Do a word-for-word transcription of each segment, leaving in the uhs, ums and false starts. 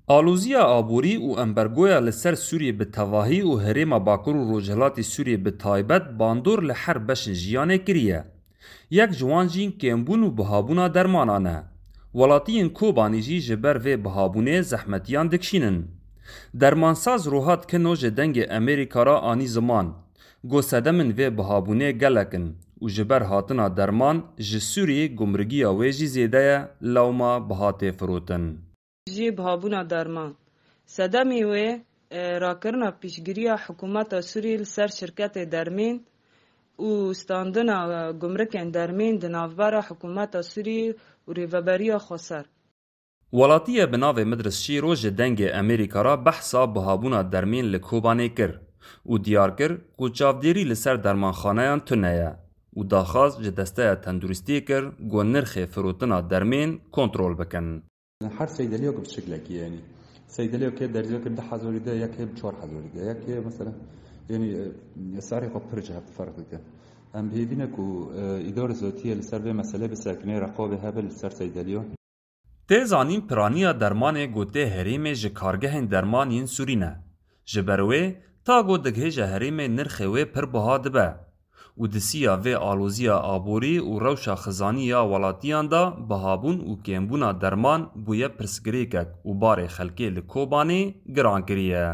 Aloziya aborî û embargoya li ser Sûriyê bi tevahî û herêma Bakur û Rojhilatê Sûriyê bi taybet bandor li her beşên jiyanê kiriye. Yek ji wan jî kêmbûn û bihabûna dermanan e. Welatiyên Kobanî jî ji ber vê bihabûnê zehmetiyan dikişînin. Dermansaz Rohat Kino ji Dengê Amerîka re anî ziman, got sedemên vê bihabûnê gelek in û ji ber hatina derman ji Sûriyê gumrigiya wê jî zêde ye, lewma biha tê firotin. Jî bihabûna derman. Sedemê wê, e, rakirina piştgiriya hikûmeta Sûriyê li ser şirketê dermên û standina, e, gumrikên dermên di navbera hikûmeta Sûriyê û Rêveberiya Xweser. Welatiyê bi navê Midris Şîro ji Dengê Amerîka re behsa bihabûna dermên li Kobanê kir û diyar kir ku çavdêrî li ser dermanxaneyan tune ye û daxwaz ji Desteya Tenduristiyê kir ku nirxê firotina dermên kontrol bikin. Her seydeliya ku bi şiklekî, yanî seydeliya ke derziya ke bi du hezarî de, ya ke bi çar hezarî de, ya ke mesela, yanî, e, serê xwe pir ji hev ferq dike. Em bi hêvî ne ku, e, îdare zotiyê li ser vê meselê bisekine, reqabê hebe li ser seydeliya. Tê zanîn piraniya dermanê ku tê herêmê ji kargehên derman yên Sûrî ne. Ji ber wê, ta ku digihêje herêmê nirxê wê pir biha dibe û di siya vê aloziya aborî û rewşa xizanî ya welatiyan de bihabûn û kêmbûna derman bûye pirsgirêkek û barê xelkê li Kobanê giran kiriye.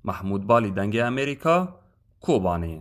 Mehmûd Balî, Dengê Amerîka, Kobanê.